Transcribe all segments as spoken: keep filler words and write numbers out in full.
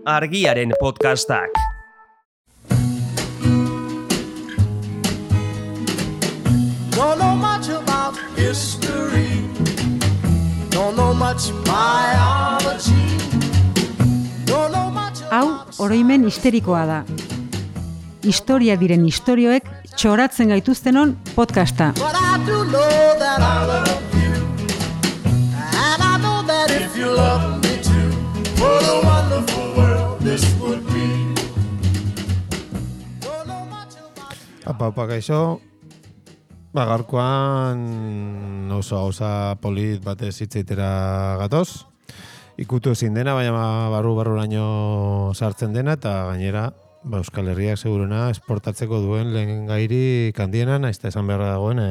Argiaren podcastak. Don't know much about history. Don't know much biology. Don't know much Hau, oroimen histerikoa da. Historia diren istorioek txoratzen gaituztenon podcasta. But I do know that I love you. And I know that if you love me too, what a wonderful world this would be. Don't know much about... Apa, apa, gaixo. Ba, gaurkoan oso gauza polit batez hitzeitera gatoz. Ikutu ezin dena, baina barru-barruraino sartzen dena, eta gainera ba, Euskal Herriak seguruna esportatzeko duen lehen gairi kandiena, nahiz eta esan beharra dagoen e,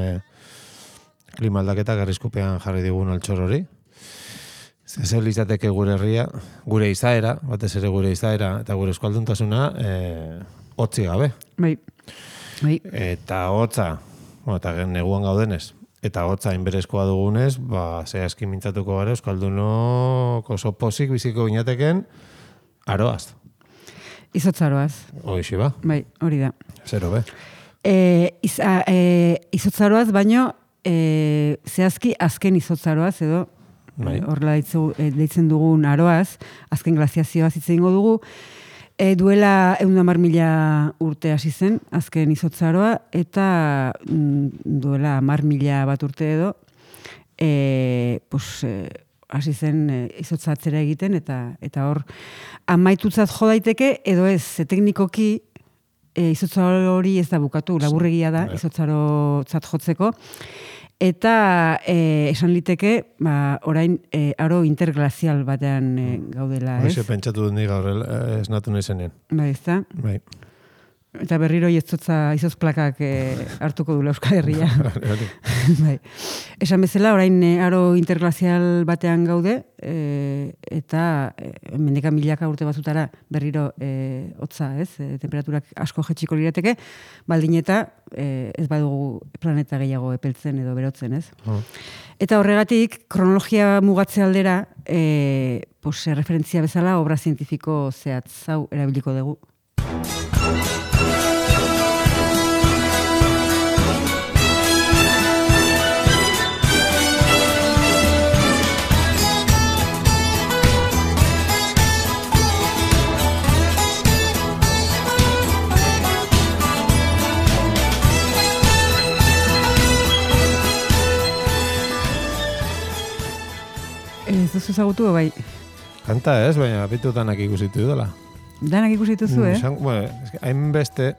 klima aldaketa garrizkupean jarri digun altxor hori. Zer izateke gure herria, gure izaera, batez ere gure izaera, eta gure euskalduntasuna e, hotzi gabe. Bai. Bai. Eta hotza, bueno, eta neguan gaudenez, eta hotza inberezkoa dugunez, ba, zehazki mintzatuko gara euskaldunok oso pozik biziko ginateken aroaz. Izotzaroaz. Hoixi ba. Bai, hori da. Zero be. E, iz, a, e, izotzaroaz, baino e, zehazki azken izotzaroaz, edo Bai. horrela e, deitzen dugun aroaz, azken glaziazioaz hitz egingo dugu, e, duela ehun eta hamar mila urte hasi zen, azken izotzaroa, eta mm, duela hamar mila bat urte edo, e, pues, e, hasi zen e, izotzatzera egiten, eta eta hor amaitutzat jo daiteke, edo ez, ze teknikoki e, izotzaro hori ez da bukatu, laburregia da, izotzarotzat jotzeko, eta e, esan liteke, ba, orain e, aro interglazial batean e, gaudela, ez? Hoxe pentsatu dut nik gaur esnatu nahi Bai, ez da? Bai. Eta berriro izotza izotz plakak e, hartuko du Euskal Herria. Bai. Esan bezala, orain e, aro interglazial batean gaude, e, eta e, mendeka milaka urte batzutara berriro e, hotza, ez? E, temperaturak asko jetxiko lirateke, baldin eta e, ez badugu planeta gehiago epeltzen edo berotzen, ez? Oh. Eta horregatik, kronologia mugatze aldera, e, pues, referentzia bezala, obra zientifiko zehatz hau erabiliko dugu. Ez duzu ezagutu, bai? Kanta ez, baina bitu danak ikusitu dela. Danak ikusitu zu, eh? Mm, bueno, hainbeste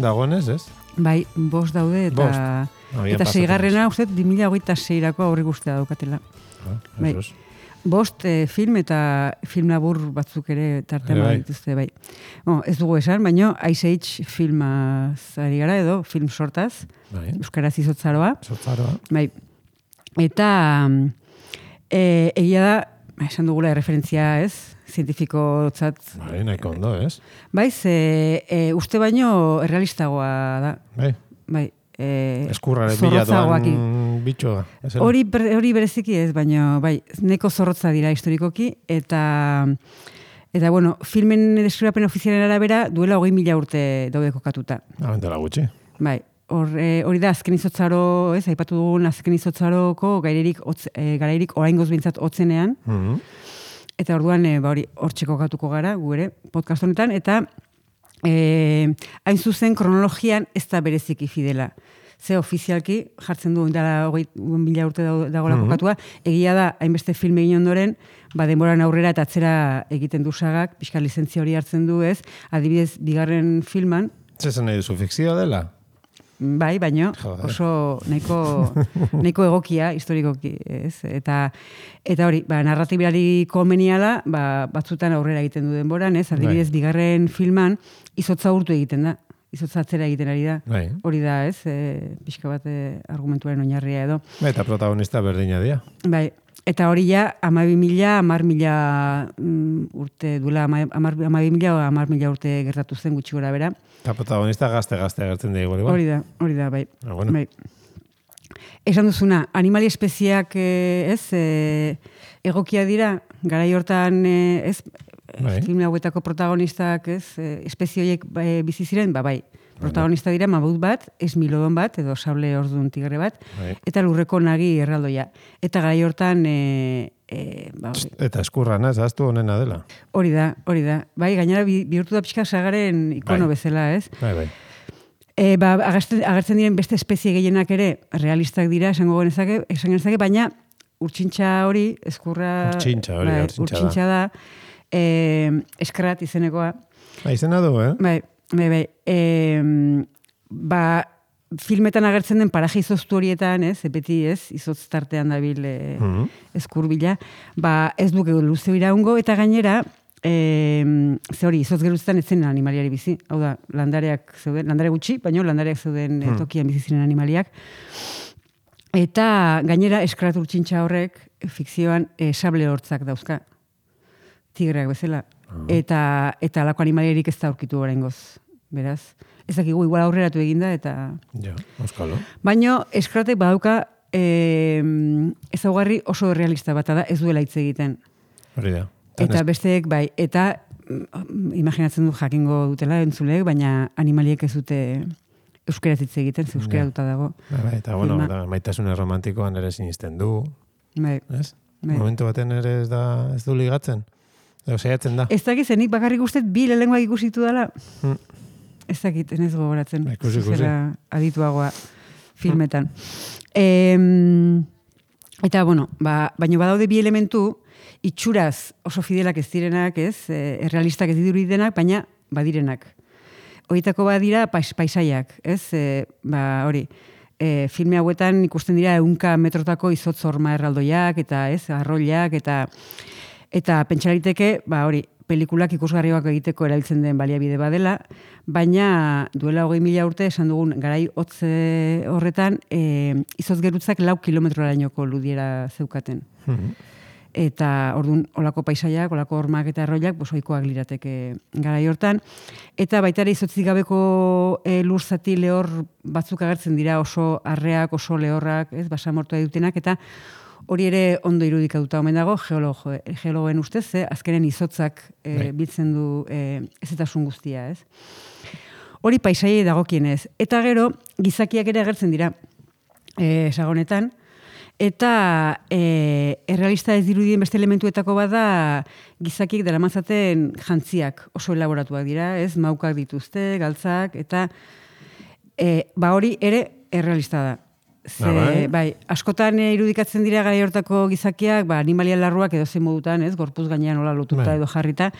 dagoenez, ez? Bai, bost daude, eta Bost. eta seigarrena, uste, bi mila hogeita seirako aurrik ustea daukatela. Ah, Bai. esos. Bost eh, film eta film labur batzuk ere tartean Ere bai. dituzte, bai. Bon, ez dugu esan, baino Ice Age filmaz ari gara, edo film sortaz, Bai. euskaraz izotzaroa. Zotzaroa. Bai. Eta e, egia da, esan dugula referentzia, ez? Zientifikotzat. Bai, nahiko ondo, ez? Bai, ze e, uste baino errealistagoa da. Bai. Bai. E, Eskurrare bila zorrotzagoak. doan bitxoa. ez era? Hori, hori bereziki ez, baina bai, neko zorrotza dira historikoki, eta eta bueno, filmen deskribapen ofizialen arabera duela hogei mila urte daude kokatuta. Abentela gutxi. Bai, hor, e, hori da azken izotzaro, ez, aipatu dugun azken izotzaroko gairerik, otz, e, garairik oraingoz bintzat hotzenean, Mhm. eta orduan e, ba, hori hortxe kokatuko gara, gu ere, podcast honetan, eta e, hain zuzen kronologian ez da bereziki fidela. Ze ofizialki jartzen du dela hogei mila urte dagoela Mhm. kokatua, egia da, hainbeste film egin ondoren, ba, denboran aurrera eta atzera egiten du sagak, pixka lizentzia hori hartzen du, ez, adibidez, bigarren filman, Zezen nahi duzu fikzioa dela? bai, baino Joder. oso nahiko, nahiko egokia, historikoki, ez? Eta, eta hori, ba, narratibari komeniala, ba, batzutan aurrera egiten du denboran, ez? Adibidez, Bai. bigarren filman, izotza urtu egiten da. Izotza atzera egiten ari da. Bai. Hori da, ez? E, pixka bat e, argumentuaren oinarria edo. Eta protagonista berdina dira. Bai, eta hori ja, amabi mila, amar mila mm, urte, duela amabi mila, amar mila urte gertatu zen gutxi gora bera. Eta protagonista gazte-gazte agertzen dira igual. Hori da, hori da, bai. Ah, bueno. Bai. Esan duzuna, animali espeziak, eh, ez, eh, egokia dira, garai hortan, eh, ez, Bai. film hauetako protagonistak, ez, eh, espezie horiek eh, bizi ziren, ba bai, protagonista dira mamut bat, esmilodon bat, edo sable ordun tigre bat, Bai. eta lurreko nagi erraldoia. Eta garai hortan, e, e, ba, hori, Eta eskurrana, ez aztu honena dela. hori da, hori da. Bai, gainera bi- bihurtu da pixka sagaren ikono Bai. bezala, ez? Bai, bai. E, ba, agertzen, agertzen diren beste espezie gehienak ere realistak dira, esango genezake, esan genezake, baina urtsintxa hori, eskurra... Urtsintxa hori, bai, urtsintxa da. urtsintxa da. E, eskrat izenekoa. Ba, izena du, eh? Bai, bai, bai. E, ba, filmetan agertzen den paraje izoztu horietan, ez, beti ez, izotz tartean dabil e, Mhm. eskurbila, ba, ez duke luze iraungo, eta gainera, e, ze hori, izotz geruztan ez zen animaliari bizi. Hau da, landareak zeuden, landare gutxi, baina landareak zeuden e, tokian bizi ziren animaliak. Eta gainera eskrat urtsintxa horrek fikzioan e, sable hortzak dauzka. Tigreak bezala. Eta eta alako animaliarik ez da aurkitu oraingoz. Beraz, ez dakigu igual aurreratu eginda eta Ja, euskalo. baino eskratek badauka eh, ezaugarri oso realista bat da, ez duela hitz egiten. Hori da. Eta besteek bai, eta mm, imaginatzen du jakingo dutela entzuleek, baina animaliek ez dute euskeraz hitz egiten, ze euskera Ja. duta dago. Bai, bai, eta bueno, filma. da, maitasune romantikoan ere sinisten du, Bai. ez? Bai. Momentu baten ere ez da ez du ligatzen. Edo saiatzen da. Ez dakit zenik bakarrik ustet bi lehengoak ikusitu dela. Mm. Ez dakit, ez gogoratzen. Ba, ikusi, ikusi. Zera adituagoa filmetan. Em, eta, bueno, ba, baina badaude bi elementu, itxuraz oso fidelak ez direnak, ez, e, errealistak ez dirudidenak, baina badirenak. Horietako badira pais, paisaiak, ez, e, ba, hori, e, filme hauetan ikusten dira ehunka metrotako izotz horma erraldoiak, eta ez, arroilak, eta eta pentsalariteke, ba, hori, pelikulak ikusgarriak egiteko erabiltzen den baliabide badela, baina duela hogei mila urte esan dugun garai hotze horretan e, izotz gerutzak lau kilometrorainoko ludiera zeukaten. Mhm. Eta ordun olako paisaiak, olako hormak eta arroilak bosoikoak lirateke garai hortan. Eta baita ere izotzik gabeko e, lur zati lehor batzuk agertzen dira oso arreak, oso lehorrak, ez, basamortua dutenak, eta hori ere ondo irudikatuta omen dago geologo, geologoen ustez, ze azkenen izotzak e, Bai. biltzen du e, ezetasun guztia, ez? Hori paisaiei dagokienez. Eta gero, gizakiak ere agertzen dira e, sagonetan, eta e, errealista ez dirudien beste elementuetako bada gizakiek daramatzaten jantziak oso elaboratuak dira, ez? Maukak dituzte, galtzak, eta e, ba hori ere errealista da. Ze, Ah, bai? bai, askotan e, irudikatzen dira garai hortako gizakiak, ba, animalia larruak edo zein modutan, ez? Gorpuz gainean nola lotuta Bai. edo jarrita,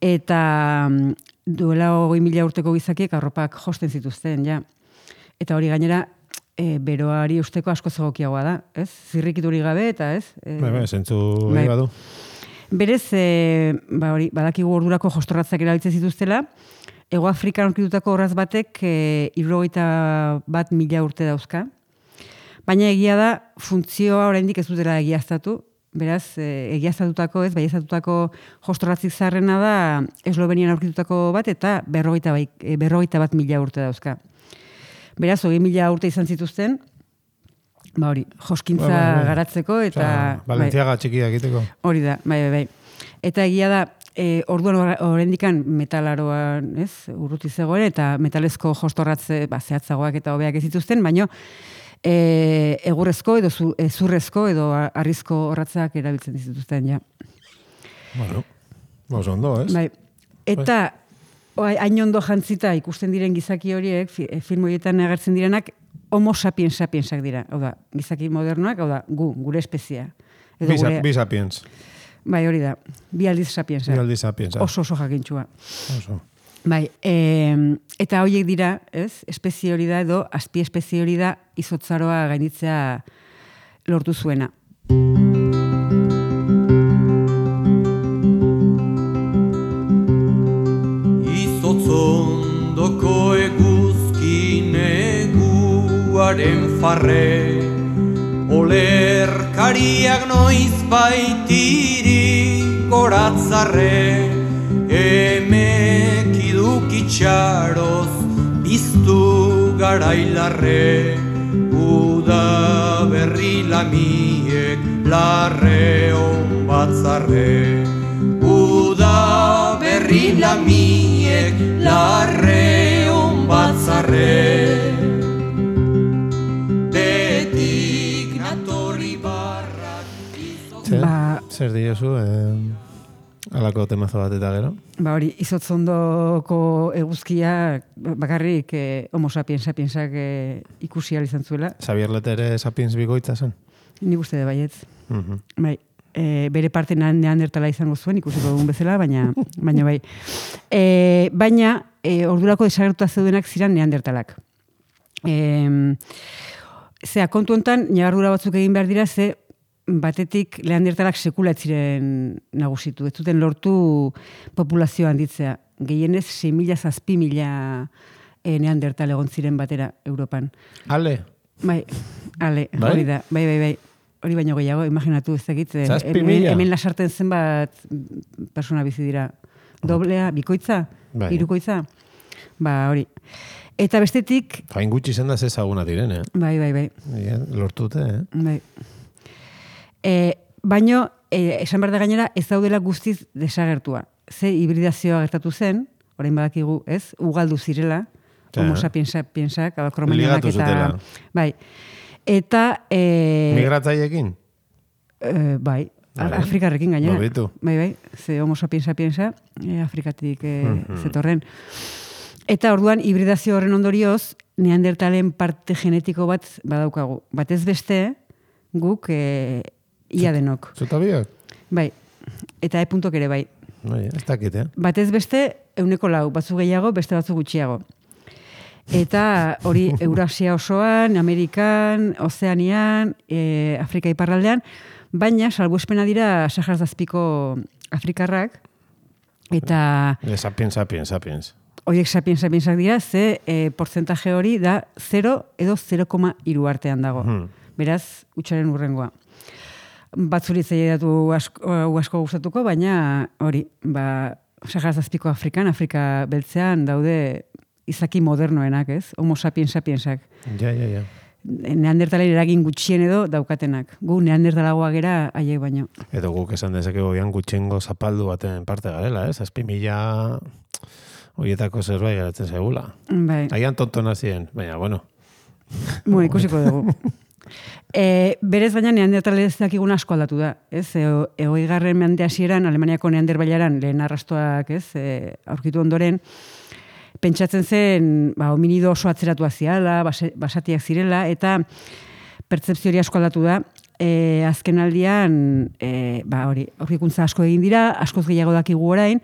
eta mm, duela hogei mila urteko gizakiek arropak josten zituzten, ja. Eta hori gainera, e, beroari usteko asko zegokiagoa da, ez? Zirrikiturik gabe, eta ez? E, Bai, bai, zentzu bai. bai. badu. Berez, e, ba hori, badakigu ordurako jostorratzak erabiltzen zituztela, Ego Afrikan aurkitutako horraz batek e, hirurogeita bat mila urte dauzka. Baina egia da, funtzioa oraindik ez dutela egiaztatu, beraz, e, egiaztatutako, ez, baieztatutako jostorratzik zarrena da Eslovenian aurkitutako bat, eta berrogeita, bai, e, berrogeita bat mila urte dauzka. Beraz, hogei mila urte izan zituzten, ba hori, joskintza Bai, bai, bai. garatzeko, eta... Osea, Valentziaga txikia egiteko. Hori da, bai, bai, bai. Eta egia da, e, orduan oraindikan metalaroan, ez, urruti zegoen, eta metalezko jostorratze, ba, zehatzagoak eta hobeak ez dituzten, baino, e, egurrezko edo zu, e, zurrezko edo arrizko horratzak erabiltzen dituzten, ja. Bueno, oso ondo, ez? Bai. Eta, oai, hain ondo jantzita ikusten diren gizaki horiek, fi, e, film horietan agertzen direnak, homo sapiens sapiensak dira. Hau da, gizaki modernoak, hau da, gu, gure espezia. Edo Bisa, gure, bisa piens. bai, hori da, bi aldiz sapiensak. Bi aldiz sapiens. Oso oso jakintxua. Oso. Bai, e, eta horiek dira, ez, espezie hori da edo azpi espezie hori da izotzaroa gainitzea lortu zuena. Izotzondoko eguzki neguaren farre, olerkariak noiz baitiri goratzarre, emek idukitxaroz biztu garailarre, uda berri lamiek larre on batzarre, uda berrila miek larreun batzarre. Betik natorri barrak Zer, Ba- zer diozu, eh, alako temazo bat eta gero? Ba hori, izotzondoko eguzkia bakarrik eh, homo sapiens sapiensak eh, ikusi ahal izan zuela. Xabier Lete ere sapiens bikoitza zen? Nik uste de baietz. Mhm. Bai, e, bere parte neandertala izango zuen, ikusiko dugun bezala, baina, baina bai. E, baina, e, ordurako desagertuta zeudenak ziren neandertalak. E, zea, kontu hontan, ñabardura batzuk egin behar dira, ze batetik neandertalak sekula ez ziren nagusitu. Ez zuten lortu populazioa handitzea. Gehienez, sei mila zazpi mila e, neandertal egon ziren batera Europan. Ale? Bai, ale, Bai? hori da, bai, bai, bai. Hori baino gehiago, imaginatu ez dakit. eh, Zazpi hemen, mila? hemen lasarten zenbat persona bizi dira. Doblea, bikoitza, Bai. hirukoitza. Ba, hori. Eta bestetik, Fain gutxi zen da zezaguna diren, eh? bai, bai, bai. Ja, lortute, eh? bai. E, baino, e, esan behar da gainera, ez daudela guztiz desagertua. Ze hibridazioa gertatu zen, orain badakigu, ez, ugaldu zirela, Ja. homo sapiens sapiensak, kromanionak Ligatu eta... zutela. Bai. Eta... E, Migratzaiekin? Eh, bai, Vale. Afrikarrekin gainera. Baditu. Bai, bai, ze homo sapiens sapiensa, eh, Afrikatik eh, Mhm. zetorren. Eta orduan, hibridazio horren ondorioz, neandertalen parte genetiko bat badaukagu. Batez beste, guk eh, ia denok. Zuta biak? Bai, eta e-puntok ere bai. Bai, ez dakit, eh? Batez beste, euneko lau, batzu gehiago, beste batzu gutxiago. Eta hori Eurasia osoan, Amerikan, Ozeanian, e, Afrika iparraldean, baina salbuespena dira Sahara Azpiko afrikarrak, eta Eh, sapiens, sapiens, sapiens. horiek sapiens sapiensak dira, ze e, portzentaje hori da zero edo zero koma hiru artean dago. Mhm. Beraz, utxaren urrengoa. Batzuritzei datu asko, hau asko gustatuko, baina hori, ba, Sahara Azpiko Afrikan, Afrika beltzean daude izaki modernoenak, ez? Homo sapiens sapiensak. Ja, ja, ja. Neandertalen eragin gutxien edo daukatenak. Gu neandertalagoa gera haiek baino. Edo guk esan dezakegu gian gutxengo zapaldu baten parte garela, ez? Azpi mila horietako zerbait geratzen segula. Bai, Aian tontona ziren, baina, bueno. bueno, ikusiko dugu. E, berez baina neandertalez dakigun asko aldatu da, ez? E, Egoi-garren mende hasieran Alemaniako neanderbailaran lehen arrastoak, ez? E, aurkitu ondoren, pentsatzen zen, ba, hominido oso atzeratua ziala, base, basatiak zirela, eta pertzepzio hori asko aldatu da. E, azken aldian, e, ba, hori, aurkikuntza asko egin dira, askoz gehiago dakigu orain,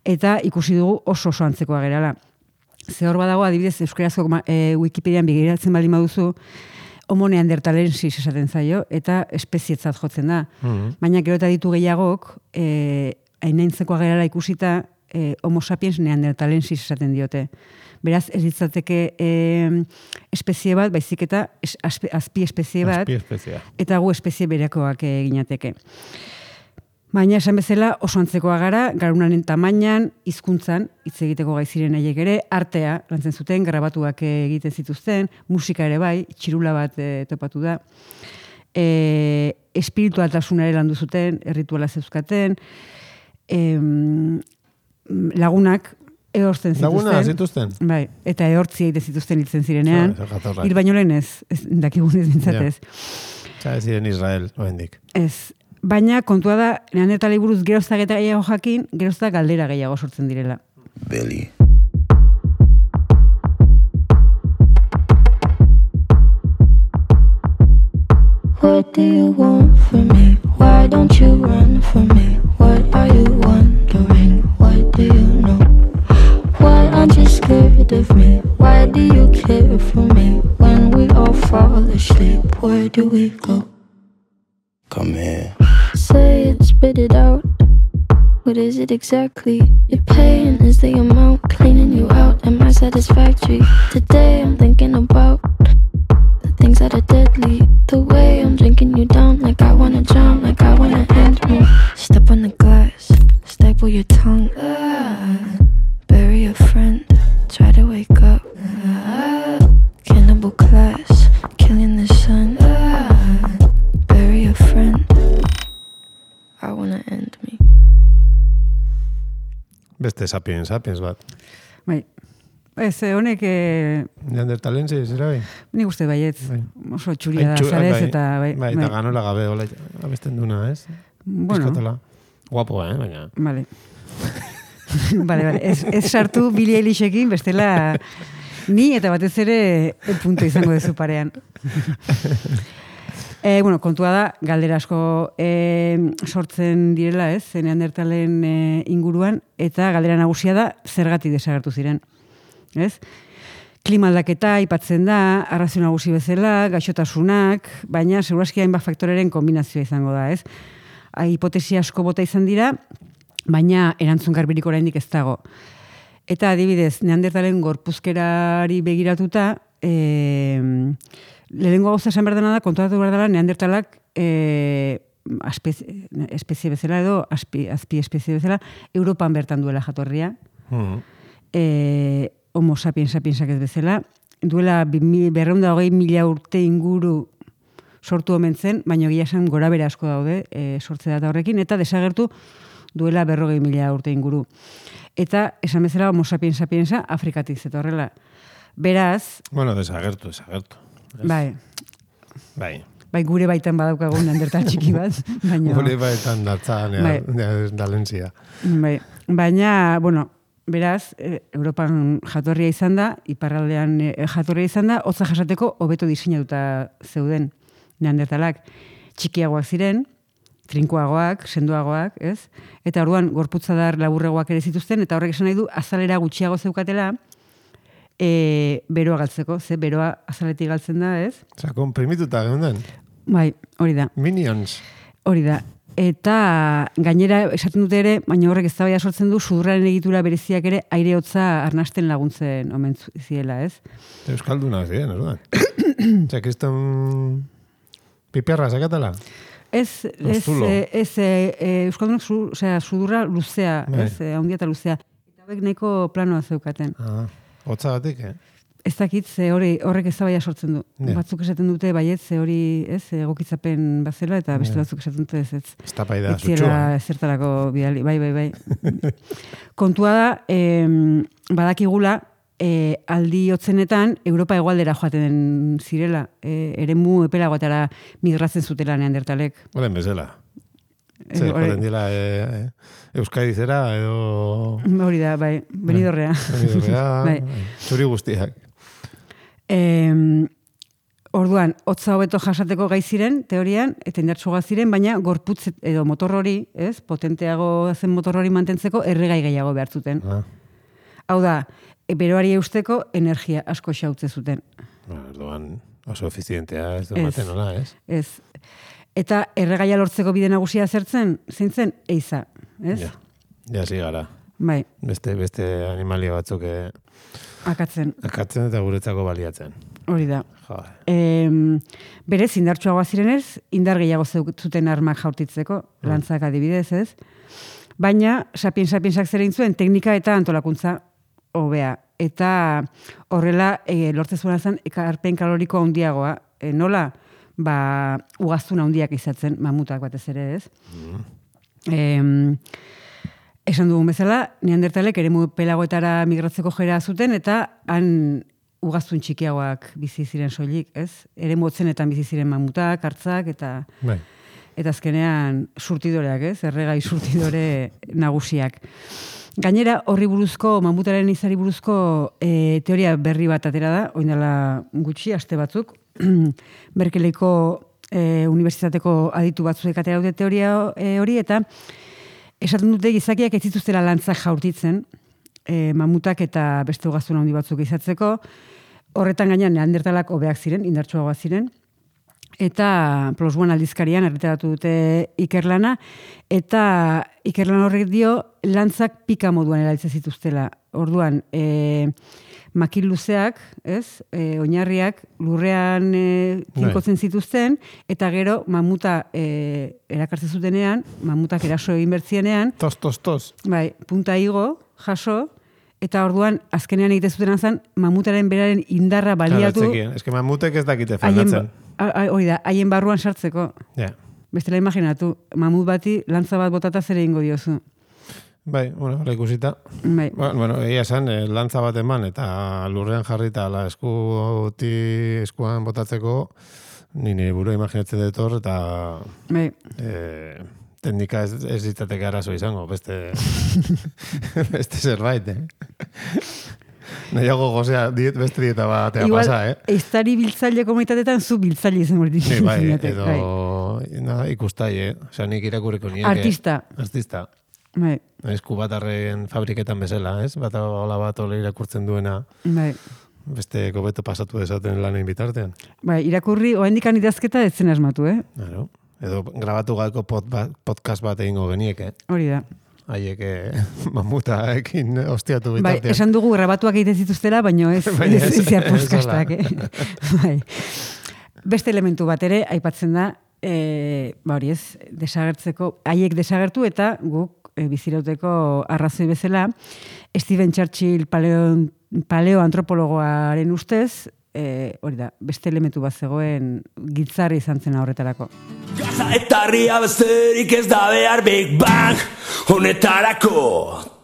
eta ikusi dugu oso oso antzekoa gerala. Ze hor badago, adibidez, euskarazko e, Wikipedian begiratzen baldin baduzu, homo neandertalensis esaten zaio, eta espezietzat jotzen da. Mhm. Baina gero eta ditu gehiagok, e, hainaintzekoa gerala ikusita, e, homo sapiens neandertalensis esaten diote. Beraz, ez ditzateke e, espezie bat, baizik eta es, aspe, azpi espezie bat, Azpi espezia. eta gu espezie berekoak e, ginateke. Baina, esan bezala, oso antzekoa gara, garunaren tamainan, hizkuntzan hitz egiteko gai ziren haiek ere, artea lantzen zuten, grabatuak egiten zituzten, musika ere bai, txirula bat e, topatu da, e, espiritualtasuna ere landu zuten, errituala zeuzkaten, e, lagunak ehortzen zituzten. Laguna zituzten? Bai, eta ehortzi egiten zituzten hiltzen zirenean. Zer, jatorrak. Hil baino lehen ez, ez dakigun ez bintzatez. Zara ziren Israel, oendik. Ez. Baina kontua da, neandertalei buruz geroztak eta gehiago jakin, geroztak galdera gehiago sortzen direla. Billy. What do you want from me? Why don't you run from me? What are you wondering? What do you know? Why aren't you scared of me? Why do you care for me? When we all fall asleep, where do we go? Come here. Say it, spit it out. What is it exactly? Your pain is the amount cleaning you out. Am I satisfactory? Today I'm thinking about the things that are deadly. The way I'm drinking you down, like I wanna drown, like I wanna end me. Step on the glass, staple your tongue. Ah, bury a friend, try to wake up. Ah, cannibal class, killing the sun. Ah, bury a friend. I wanna end me. Beste sapiens, sapiens bat. Bai. Ez, eh, honek... Eh, Neandertalensi, zera bai? nik uste baietz. Bai. Oso txuria da, Ai, txu- zarez, bai, eta... Bai, bai, eta ganola gabe, hola, abesten duna, ez? Bueno. Piskatela. Guapo, eh, baina. Vale. Vale, vale. Ez, ez sartu Billie Eilishekin, bestela ni eta batez ere punto izango dezu parean. E, bueno, kontua da, galdera asko e, sortzen direla, ez, Neandertalen e, inguruan, eta galdera nagusia da, zergatik desagertu ziren. Ez? Klima aldaketa aipatzen da, arrazio nagusi bezala, gaixotasunak, baina segurazki hainbat faktoreren kombinazioa izango da, ez? Hipotesi asko bota izan dira, baina erantzun garbirik oraindik ez dago. Eta adibidez, Neandertalen gorpuzkerari begiratuta, e, lehenengo gauza esan behar dena da, kontuatu behar dela, Neandertalak e, espezie, espezie bezala edo, azpi, azpi espezie bezala, Europan bertan duela jatorria. Mm. E, homo sapiens sapiensak ez bezala. Duela berrehun eta hogei mila urte inguru sortu omen zen, baina egia esan gora bere asko daude e, sortze data horrekin, eta desagertu duela berrogei mila urte inguru. Eta, esan bezala, homo sapiens sapiensa Afrikatik zetorrela. Beraz... Bueno, desagertu, desagertu. Ez? Bai. Bai. Bai, gure baitan badaukagun Neandertal txiki bat, baina... Gure baitan datza, Bai. Dalentzia. Bai. Baina, bueno, beraz, eh, Europan jatorria izan da, iparraldean eh, jatorria izan da, hotza jasateko hobeto diseinatuta zeuden Neandertalak. Txikiagoak ziren, trinkoagoak, sendoagoak, ez? Eta orduan gorputzadar laburregoak ere zituzten, eta horrek esan nahi du azalera gutxiago zeukatela, e, beroa galtzeko, ze beroa azaletik galtzen da, ez? Osa, komprimituta geunden. Bai, hori da. Minions. Hori da. Eta gainera esaten dute ere, baina horrek eztabaida sortzen du, sudurraren egitura bereziak ere aire hotza arnasten laguntzen omen ziela, ez? Euskaldunak ziren, orduan. Osa, kriston piperra sakatela. Ez, ez, Zulo. eh, ez, eh, eh, Euskaldunak zu, osea, sudurra luzea, Bai. ez, eh, handia eta luzea. Eta hauek nahiko planoa zeukaten. Ah, hotza batik, eh? Ez dakit, ze hori, horrek eztabaida sortzen du. Ja. Batzuk esaten dute baiet, ze hori, ez, egokitzapen bazela, eta beste Ja. batzuk esaten dute ez, ez. Ez tapaida Ez ziela zutxua. ezertarako bidali, bai, bai, bai. Kontua da, em, badakigula, e, aldi hotzenetan Europa hegoaldera joaten zirela, e, eremu epelagoetara migratzen zutela Neandertalek. Olen bezala. E, Zer, hori- joaten dila e, e, Euskadi zera, edo... Hori da, bai, benidorrea. Benidorrea, Bai. zuri guztiak. Em, orduan, hotza hobeto jasateko gai ziren, teorian, eta indartsuagoak ziren, baina gorputz edo motor hori, ez, potenteago zen motor hori mantentzeko erregai gehiago behar zuten. Ah, Hau da, e, beroari eusteko energia asko xautze zuten. bueno, orduan oso efizientea ez du Ez. maten, hola, ez? Ez. Eta erregaia lortzeko bide nagusia zertzen, zein zen, eiza, ez? Ja, ja zi gara. Bai, Beste, beste animalia batzuk eh, akatzen, akatzen eta guretzako baliatzen. hori da. Jo, Em, berez, indartsuagoa zirenez, indar gehiago zeuk- zuten armak jaurtitzeko, lantzak adibidez, ez? Baina, sapien-sapiensak zer egin zuen, teknika eta antolakuntza hobea. Eta horrela, e, lortzen zuena zen, ekarpen kaloriko handiagoa. E, nola? Ba, ugaztun handiak izatzen, mamutak batez ere, ez? Em, esan dugun bezala, Neandertalek eremu pelagoetara migratzeko jera zuten, eta han ugaztun txikiagoak bizi ziren soilik, ez? Eremu hotzenetan bizi ziren mamutak, hartzak, eta bai. eta azkenean surtidoreak, ez? Erregai surtidore nagusiak. Gainera, horri buruzko, mamutaren izari buruzko e, teoria berri bat atera da, orain dela gutxi, aste batzuk, Berkeleyko e, unibertsitateko aditu batzuek atera dute teoria e, hori, eta esaten dute gizakiak ez zituztela lantzak jaurtitzen, e, mamutak eta beste ugaztun handi batzuk izatzeko, horretan gainean Neandertalak hobeak ziren, indartsuagoak ziren, eta Plus One aldizkarian argitaratu dute ikerlana, eta ikerlan horrek dio lantzak pika moduan erabiltzen zituztela. Orduan, e, makil luzeak, ez, e, oinarriak lurrean e, tinkotzen zituzten, eta gero mamuta e, erakartzen zutenean, mamutak eraso egin bertzienean, Tos, tos, tos. bai, punta igo, jaso, eta orduan azkenean egite zuten zen mamutaren beraren indarra baliatu, Claro, ez que mamutek ez dakite haien, frenatzen. a- a- hori da, haien barruan sartzeko. Ja. Bestela imaginatu, mamut bati lantza bat botata zer egingo diozu. Bai, bueno, hala ikusita. Bai. Ba, bueno, egia esan, eh, lantza bat eman eta lurrean jarrita la eskuti eskuan botatzeko ni nire burua imaginatzen dut hor eta Bai. eh, teknika ez, ez ditzateke arazo izango, beste beste zerbait, eh? Nahiago gozea, diet, beste dieta batea Igual, pasa, eh? Eiztari biltzaile komunitatetan zu biltzaile izango ditu. Ni bai, edo na, ikustai, eh? Osea, nik irakurriko nieke. Artista. Artista. Bai, Esku batarren fabriketan bezala, ez? Bata hola bat ole irakurtzen duena bai. beste kobeto pasatu dezaten lanen bitartean. Bai, irakurri, oendikan idazketa ez zen asmatu, eh? Claro. Edo grabatu gako pod, podcast bat egingo genieke. Hori da. Haiek eh, mamutaekin ostiatu Bai, bitartean. esan dugu grabatuak egiten zituztela, baino ez, Baina ez, ez- ez, ez, ez podcastak, eh? Bai. Beste elementu bat ere, aipatzen da, e, ba hori ez, desagertzeko, haiek desagertu eta guk e, bizirauteko arrazoi bezala, Steven Churchill paleo, paleoantropologoaren ustez, e, hori da, beste elementu bat zegoen giltzarri izan zen horretarako. Gaza eta herria besterik ez da behar Big Bang honetarako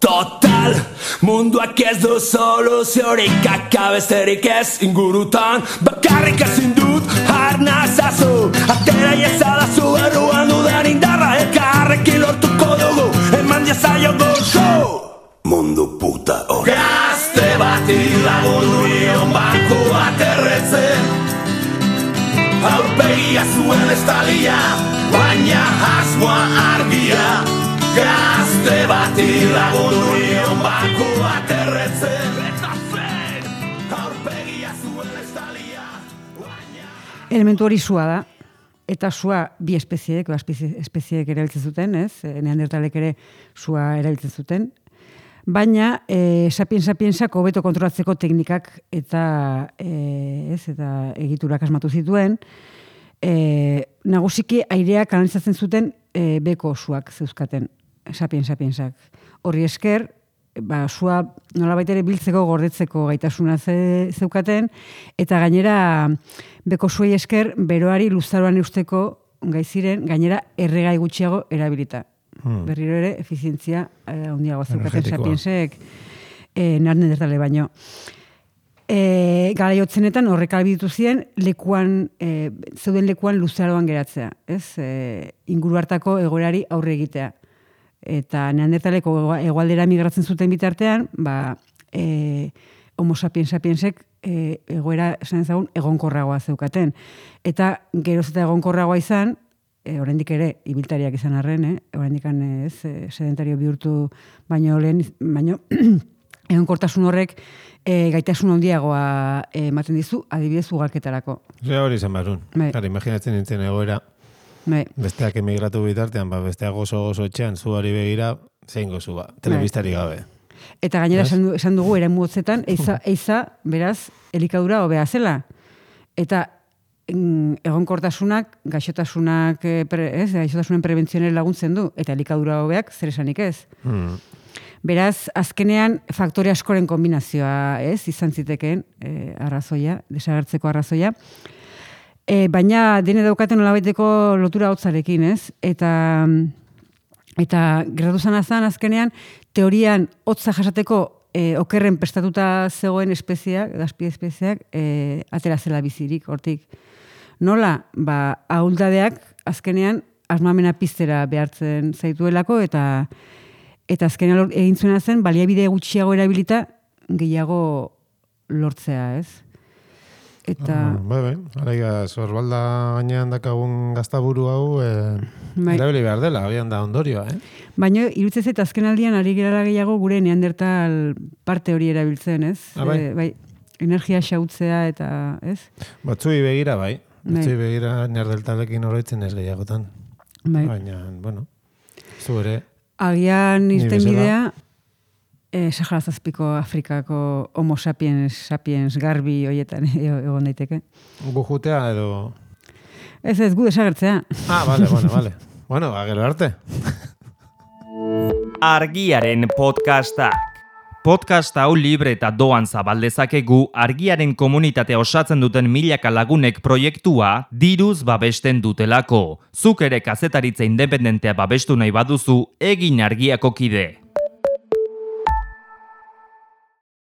total munduak ez du soluziorik kaka besterik ez ingurutan bakarrik ezin dut arnazazu atera iezadazu erruan dudan indarra elkarrekin lortuko dugu eman diazaiogo show mundu puta hori gazte bati lagundu nion banku bat erretzen aurpegia zuen estalia, baina asmoa argia. Gazte bati lagundu nion banku bat erretzen. Eta zen, aurpegia zuen estalia, baina... Elementu hori sua da, eta sua bi espezieek, ba, espezie, espezieek erabiltzen zuten, ez? Neandertalek ere sua erabiltzen zuten. Baina, e, sapiens-sapiensak hobeto kontrolatzeko teknikak eta, e, ez, eta egiturak asmatu zituen, e, nagusiki airea kanalizatzen zuten e, beko suak zeuzkaten, sapiens-sapiensak. Horri esker, ba, sua nolabait ere biltzeko, gordetzeko gaitasuna ze, zeukaten, eta gainera beko suei esker beroari luzaroan eusteko gai ziren, gainera erregai gutxiago erabilita. Hmm. Berriro ere, efizientzia eh, handiago zeukaten sapiensek eh, neandertale baino. E, Garaiotzenetan horrek albitu ziren lekuan, e, zeuden lekuan luzaroan geratzea, ez? E, inguru hartako egoerari aurre egitea. Eta neandertaleko hegoaldera migratzen zuten bitartean, ba, e, homo sapiens sapiensek e, egoera esan ezagun egonkorragoa zeukaten. Eta geroz eta egonkorragoa izan, E, oraindik ere ibiltariak izan arren, eh? Oraindik ez, e, sedentario bihurtu baino lehen, baino egonkortasun horrek e, gaitasun handiagoa ematen dizu, adibidez ugalketarako. Ze hori izan barun. Bai. Claro, imaginatzen nintzen egoera. Bai. Besteak emigratu bitartean, ba, besteak gozo-gozo etxean, zuari begira, zein gozu ba, telebistari gabe. Eta gainera esan, du, esan dugu eremu hotzetan, eiza, eiza, beraz, elikadura hobea zela. Eta egonkortasunak, gaixotasunak, pre, ez, gaixotasunen prebentzionera laguntzen du, eta elikadura hobeak zer esanik ez. Hmm. Beraz, azkenean faktore askoren kombinazioa, ez, izan zitekeen e, arrazoia, desagertzeko arrazoia. E, baina dene daukaten nolabaiteko lotura hotzarekin, ez? Eta eta gertatu zan azan azkenean teorian hotza jasateko e, okerren prestatuta zegoen espeziak, azpi espeziak, e, atera zela bizirik hortik. Nola, ba, ahuldadeak azkenean asmamena piztera behartzen zaituelako eta eta azkenean egin zuena zen baliabide gutxiago erabilita gehiago lortzea, ez? Eta Ah, bai, bai. Araiga, sorbalda gainean dakagun gaztaburu hau, eh, bai. erabili behar dela, agian da ondorioa, eh? Baina irutzez eta azken aldian ari gerala gehiago gure neandertal parte hori erabiltzen, ez? Ah, bai. E, bai, energia xautzea eta, ez? Batzui begira, bai. Bai. Batzui begira neandertalekin oroitzen ez gehiagotan. Bai. Baina, bueno, zu ere, Agian Ni irten bezala. bidea, eh, Sahara Zazpiko Afrikako homo sapiens, sapiens garbi hoietan egon daiteke. gu jutea edo... Ez ez, gu desagertzea. Ah, vale, bueno, vale. Bueno, agero arte. Argiaren podcastak. Podcast hau libre eta doan zabaldezakegu argiaren komunitatea osatzen duten milaka lagunek proiektua diruz babesten dutelako. Zuk ere kazetaritza independentea babestu nahi baduzu, egin argiako kide.